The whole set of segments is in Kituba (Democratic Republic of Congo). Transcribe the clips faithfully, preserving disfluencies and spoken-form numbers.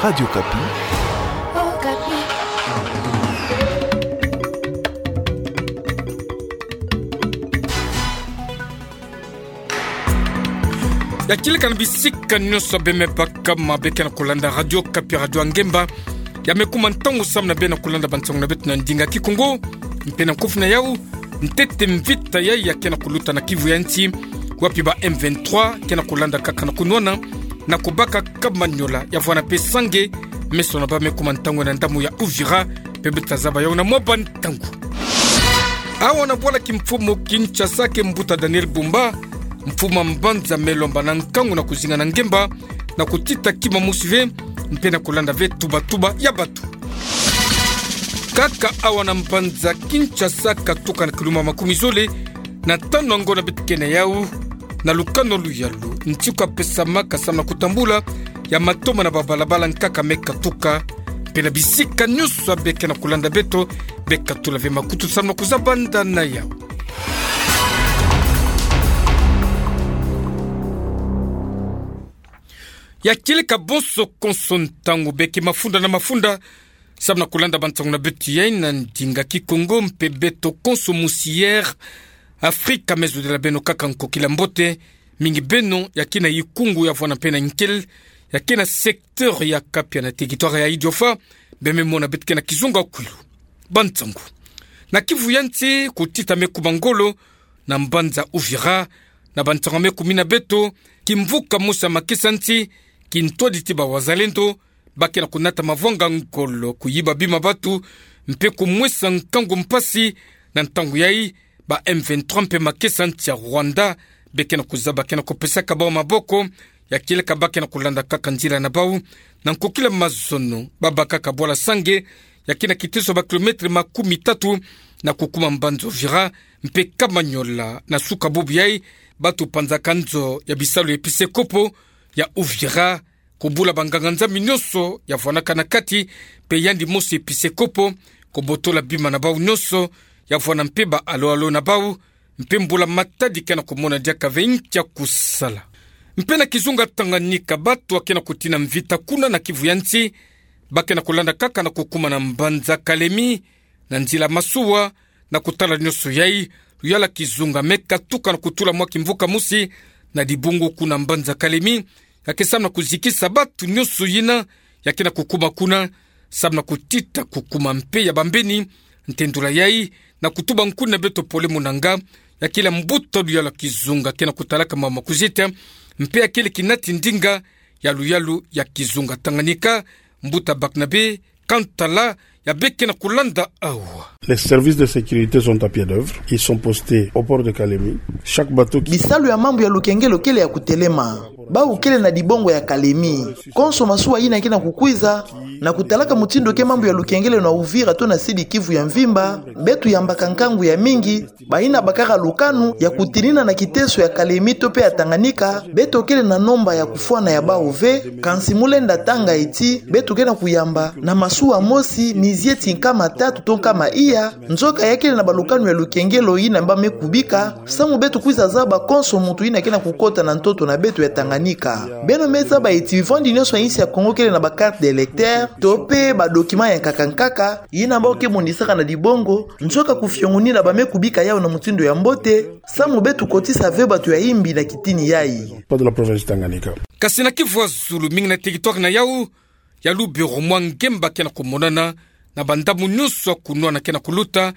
Radio Okapi. Ya kieleka na bisika nyonso bemebaka, mabe ke na kulanda Radio Okapi, radio ya ngemba. Ya me kuma ntangu samu na beno kulanda bansangu na beto na ndinga Kikongo. Mpe na nkufi na yau, ntete mvita yayi ya ke na kuluta na kivu ya nsi, wapi ba M vingt-trois ke na kulanda kaka na kunwana, na kubaka Kamanyola, ya vwana mpe Sange, meso na bau me kuma ntangu na ndambu ya Uvira, mpe beto tazaba yau na mwa bantangu. Awa na bwala kimfumu Kinshasa ke mbuta Daniel Bumba, mfumu a mbanza me lomba na nkangu na kuzinga na ngemba, na kutita kima mosi ve, mpe na kulanda ve tuba-tuba ya batu. Kaka awa na mbanza Kinshasa, katuka na kiluma makumi zole na tanu ango na beto ke na yau, na lukano luyalu nti kwa pesamaka samu na kutambula ya matoma na babalabala nkaka me katuka, mpe na bisika nyonso abe ke na kulanda beto, be katula ve makutu samu na kuzabanda na yau. Ya kieleka bonso konso ntangu, beke mafunda na mafunda samu na kulanda bansangu na beto yayi na ndinga Kikongo, mpe beto konso musi Air Afrika me zodila beno kaka nkokila mbote, mingi beno ya ke na ikungu ya vwana mpe na nkele, ya ke na secteur ya Kapia na territoire ya Idiofa, be me mona beto ke na kizunga kwilu. Bansangu. Na kivu ya nsi, kutita me kuma ngolo na mbanza Uvira, na bansangu me kumina beto, kimvuka mosi ya makesa nsi, kintwadi ti ba wazalendo ba ke na kunata mavwanga ngolo, kuyiba bima batu, mpe kumwesa nkangu mpasi. Na ntangu yayi, ba M vingt-trois mpe makesa nsi ya Rwanda be ke na kuzaba ke na kupesaka bau maboko. Ya kieleka ba ke na kulanda kaka nzila na bau na nkokila mazono, babakaka bwala Sange, ya ke na kiteso ba kilometre makumi tatu, na kukuma mbanza Uvira mpe Kamanyola. Na suka bubu yayi, batu panzaka nzo ya bisalu ya episekopo ya Uvira, kubula banganga-Nzambi nyonso ya vwanaka na kati, mpe yandi mosi episekopo kubotola bima na bau nyonso, ya vwana mpe ba alo-alo na bau, mpe mbula-matadi ke na kumona diaka ve nki ya kusala. Mpe na kizunga Tanganyika, batu ya ke na kutina mvita kuna na kivu ya nsi, ba ke na kulanda kaka na kukuma na mbanza Kalemi, na nzila masuwa, na kutala nyonso yayi, luyala kizunga me katuka na kutula mwa kimvuka mosi na dibungu kuna mbanza Kalemi, ya ke samu na kuzikisa batu nyonso yina ya ke na kukuma kuna, samu na kutita kukuma mpe ya bambeni, ntendula yayi, na kutuba nkuni na beto pole munanga, ya kele mbuta luyalu ya kizunga ke na kutalaka mama kuzita, mpe ya kele kinati ndinga ya luyalu ya kizunga Tanganyika, mbuta Barnabe Kantala, ya be ke na kulanda awa. Les services de sécurité sont à pied d'œuvre. Ils sont postés au port de Kalemi. Chaque bateau qui... Bisalu ya mambu ya lukengelo kele ya kutelema. Bau kele na dibongo ya Kalemi. Konso masuwa yina ke na kukwiza, na kutalaka mutindu ke mambu ya lukengelo na Uvira to na Sud-Kivu ya mvimba, beto yambaka nkangu ya mingi, bayina bakaka lukanu ya kutinina na kiteso ya Kalemi to mpe ya Tanganyika, beto kele na nomba ya kufwana ya bau ve, kansi mu lenda tanga ti, beto ke na kuyamba na masuwa mosi, mizieti nkama tatu to nkama iya, nzoka ya kele na balukanu ya lukengelo yina ba me kubika, samu beto kwiza zaba konso muntu yina ke na kukota na ntoto na beto ya Tanganyika. Beno me zaba ti bivwandi nyonso ya insi ya Kongo kele na ba carte d'électeur, to mpe ba document ya nkaka nkaka, yina bau ke monisaka na dibongo, nzoka kufiongonina ba me kubika yau na mutindu ya mbote, samu beto kotisa ve bato ya imbi na kitini yayi. Pas de la province Tanganyika. Kasi na Kivu ya zulu, mingi na territoire na yau ya Lubero, mwa ngemba ke na kumonana na bandambu nyonso ya kunwana ke na kuluta,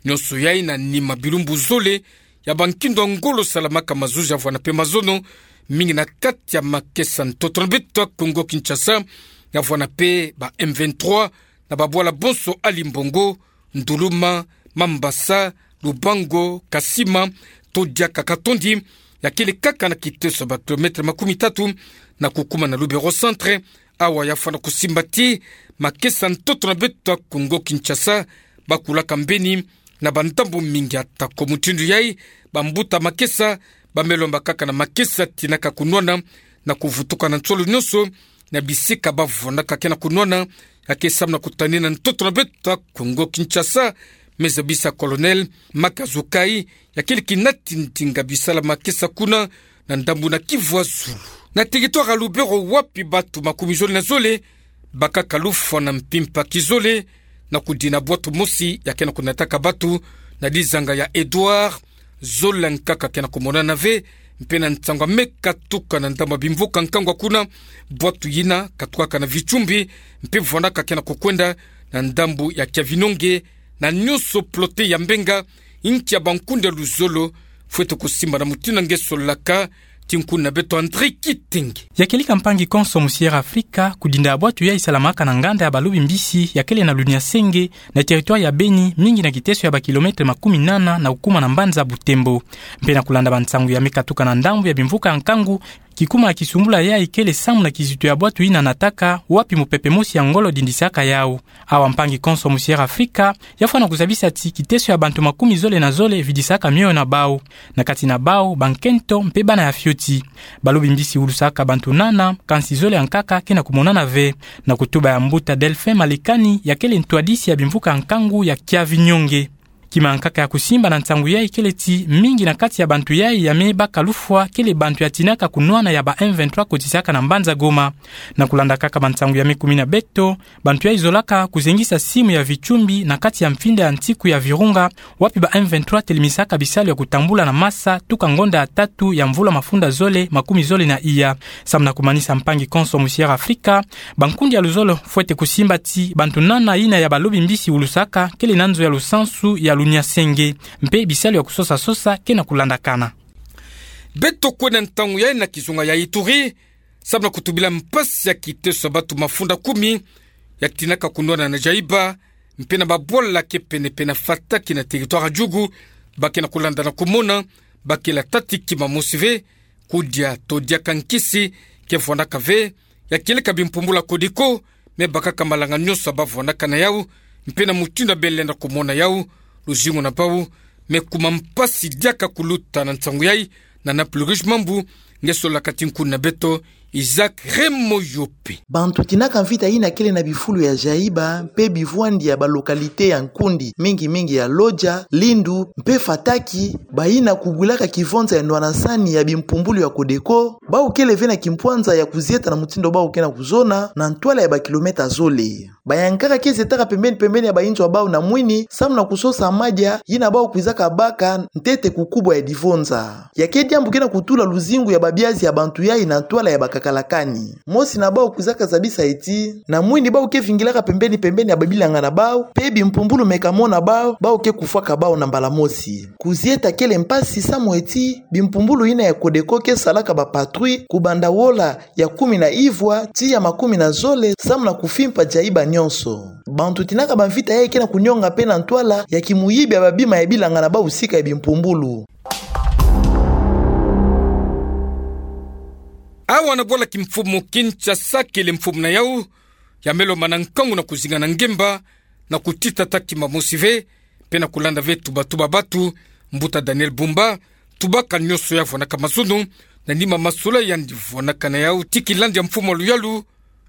nyonso yayi na nima bilumbu zole ya bankindo ya ngolo salamaka mazuzi ya vwana mpe mazono, mingi na kati ya makesa ntoto na beto ya Kongo Kinshasa, ya vwana mpe ba M vingt-trois, na babwala bonso ya Limbongo, Nduluma, Mambasa, Lubango, Kasima, to diaka Katondi, ya kele kaka na kiteso ba kilomètre makumi tatu na kukuma na Lubero Centre, awa ya fwana kusimba ti makesa ntoto na beto ya Kongo Kinshasa, ba kulaka mbeni na bandambu mingi. Atako mutindu yayi, bambuta makesa ba me lomba kaka na makesa tinaka kunwana na kuvutuka na nsolo nyonso, na bisika ba vwanaka ke na kunwana, ya ke samu na kutanina ntoto na beto ya Kongo Kinshasa, me zabisa Colonel Makazukai, ya kele kinati ndinga bisala makesa kuna na ndambu na Kivu ya zulu. Na territoire ya Lubero, wapi bato makumi zole na zole bakaka lufwa na mpimpa kizole, na kudina bwatu mosi ya ke na kunataka batu na dizanga ya Edouard, zole nkaka ke na kumonana ve, mpe na nsangu ya me katuka na ndambu ya bimvuka nkangu kuna, bwatu yina katukaka na Vichumbi, mpe vwanaka ke na kukwenda na ndambu ya Kiavinonge, na nyonso plote ya Mbenga, nki ya bankundi ya luzolo fwete kusimba na mutindu nge solaka, ti nkundi na beto André Kitenge. Ya kieleka mpangi konso mu Sierra Afrika, kudinda bwatu yayi salamaka na nganda ya balobi mbisi ya kele na Luniasenge, na territoire ya Beni, mingi na kiteso ya ba kilomètre makumi nana na kukuma na mbanza Butembo. Mpe na kulanda bansangu ya me katuka na ndambu ya bimvuka ya nkangu, kikuma ya kisumbula yayi kele samu na kizito ya bwatu yina nataka, wapi mupepe mosi ya ngolo dindisaka yawu. Awa mpangi konso mu Sierra Afrika, ya fwana kuzabisa ti kiteso ya bantu makumi zole na zole vidisaka mioyo na bawu. Na kati na bawu, bankento mpe bana ya fioti. Balobi mbisi wulusaka bantu nana, kansi zole ya nkaka ke na kumonana ve. Na kutuba ya mbuta Delphin Malekani, ya kele ntwadisi ya bimvuka nkangu ya Kiavinonge. Kima ya nkaka ya kusimba na nsangu yayi kele ti, mingi na kati ya bantu yayi ya me baka lufwa kele bantu ya tinaka kunwana ya ba M vingt-trois kotisaka na mbanza Goma. Na kulanda kaka bansangu ya me kumina beto, bantu yayi zolaka kuzengisa simu ya Vichumbi na kati ya mfinda ya nsiku ya Virunga, wapi ba M vingt-trois telemisaka bisalu ya kutambula na masa tuka ngonda ya tatu ya mvula mafunda zole makumi zole na iya. Samu na kumanisa mpangi konso mu Sierra Afrika, bankundi ya luzolo fwete kusimba ti bantu nana yina ya balobi mbisi wulusaka kele na nzo ya lusansu ya Luniasenge, mpe bisalu ya kusosa-sosa ke na kulandakana. Beto kwenda ntangu yayi na kizunga ya Ituri, samu na kutubila mpasi ya kiteso ya batu mafunda kumi ya tinaka kunwana na jayiba, mpe na babwala ke pene-pene na Fataki na territoire ya Djugu, ba ke na kulanda na kumona, ba kele tata kima mosi ve, kudia to diaka nkisi ke vwanaka ve, ya kieleka bimpumbulu ya Codeco, me bakaka malanga nyonso ba vwanaka na yawu, mpe na mutindu ya bele na kumona yawu, luzingu na bawu me kuma mpasi diaka. Kuluta na nsangu yayi, na Naples Rouge Mambu, nge solaka ti nkundi na beto Isaac Remoyope. Bantu tinaka mvita yina kele na bifulu ya jayiba mpe bivwandi ya ba localité ya nkundi, mingi-mingi ya Lodja, Lindu mpe Fataki, bayina kubwilaka kivonza ya nwanasani ya bimpumbulu ya Codeco, bawu kele ve na kimpwanza ya kuzieta na mutindu bawu ke na kuzona na ntwala ya ba kilomètre zole. Bayankaka ke zietaka pembeni-pembeni ya bayinzo ya bawu na mwini, samu na kusosa madia yina bawu kwizaka baka ntete kukubwa ya divonza. Ya ke diambu ke na kutula luzingu ya babiazi ya bantu yayi na ntwala ya bakaka la kani. Mosi na bawu kwizaka zabisa ti, na mwini bawu ke vingilaka pembeni-pembeni ya babilanga na bawu, mpe bimpumbulu me kamona bawu, bawu ke kufwaka bawu na mbala mosi. Kuzieta kele mpasi samu ti, bimpumbulu yina ya Codeco ke salaka ba patrouille, kubanda wola ya kumi na ivwa, tii ya makumi na zole, samu na kufimpa jayiba nyonso. Bantu tinaka bamvita yayi ke na kunionga mpe na ntwala ya kimuyibi ya babima ya bilanga na bawu sika ya bimpumbulu. Awa na bwala kimfumu Kinshasa kele mfumu na yawu, ya me lomba na nkangu na kuzinga na ngemba, na kutita tata kima mosi ve, mpe na kulanda ve tuba-tuba batu, mbuta Daniel Bumba tubaka nyonso ya vwanaka mazono, na nima masolo yandi vwanaka na yawu ti kilandi ya mfumu ya luyalu,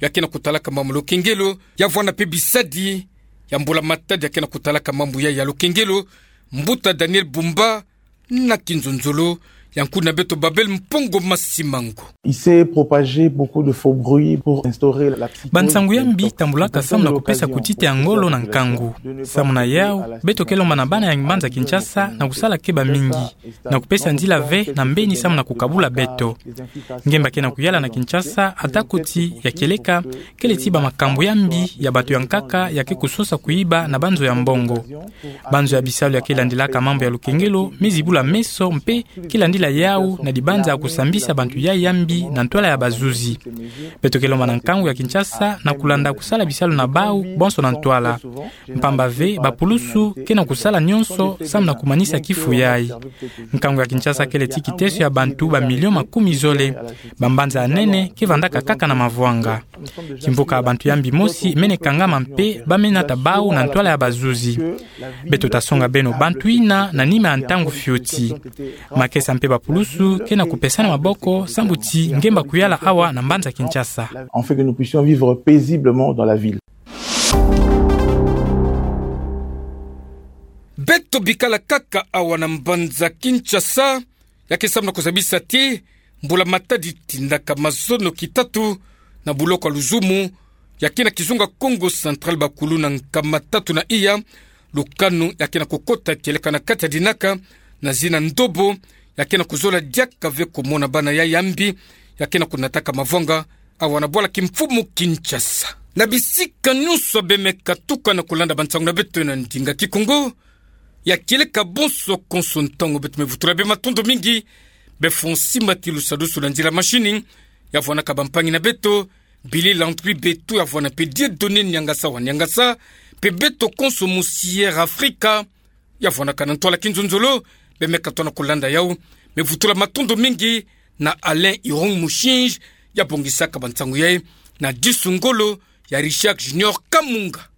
ya ke na kutalaka mambu ya lukengelo, ya vwana mpe bisadi ya mbula-matadi ya ke na kutalaka mambu ya, ya lukengelo, mbuta Daniel Bumba, na kinzonzolo ya nkundi na beto Babel Mpongo Masimango. Il s'est propagé beaucoup de faux bruits pour instaurer la psychose. Bansangu ya mbi tambulaka samu na kupesa kutita ya ngolo na nkangu. Samu na yawu, beto ke lomba na bana ya mbanza Kinshasa na kusala keba mingi, na kupesa nzila ve na mbeni samu na kukabula beto. Ngemba ke na kuyala na Kinshasa, ata kuti ya kieleka, kele ti bamakambu ya mbi ya bato ya nkaka ya ke kusosa kuyiba na banzo ya mbongo. Banzo ya bisalu ya ke landilaka mambu ya lukengelo me zibula meso mpe ke landila yawu na dibanza ya kusambisa bantu yayi ya mbi na ntwala ya bazuzi. Beto ke lomba na nkangu ya Kinshasa na kulanda kusala bisalu na bawu bonso na ntwala. Mpamba ve, bapulusu ke na kusala nyonso samu na kumanisa kifu yayi. Nkangu ya Kinshasa kele ti kiteso ya bantu ba milio makumi zole. Bambanza ya nene ke vandaka kaka na mavwanga. Kimvuka ya bantu ya mbi mosi mene kangama mpe ba me nata bawu na ntwala ya bazuzi. Beto ta songa beno bantu yina na nima ya ntangu fioti. Makesa mpe bapulusu ke na kupesana maboko sambu ti ngemba kuyala awa na mbanza Kinshasa. Afin que nous puissions vivre paisiblement dans la ville. Beto bikala kaka awa na mbanza Kinshasa, ya ke samu na kuzabisa ti mbula-matadi tindaka mazono kitatu na buloko ya luzumu, ya ke na kizunga Kongo Central, bakuluna nkama tatu na iya, lukanu ya ke na kukota kieleka na kati ya dinaka, na zina ndobo, ya ke na kuzola diaka ve kumona bana ya yambi, ya ke na kunataka mavwanga, awa na bwala kimfumu Kinshasa. Na bisika nyonso bemeka tuka na kulanda bansangu na beto na ndinga Kikongo, ya kieleka bonso konso ntangu beto me vutula bê matondo mingi, bê Fonsi Matilu Sadusu na nzila mashini, ya vwanaka bampangi na beto, Billy Landry Betu ya vwana mpe Dieudonné Niangasa wa Niangasa, mpe beto konso mu Sierra Africa, ya vwanaka na ntwala kinzonzolo, bemeka tona kulanda yau, me vutula matondo mingi na Alain Irung Mushinji, ya bongisaka bansangu yayi, na disu ngolo ya Richard Junior Kamunga.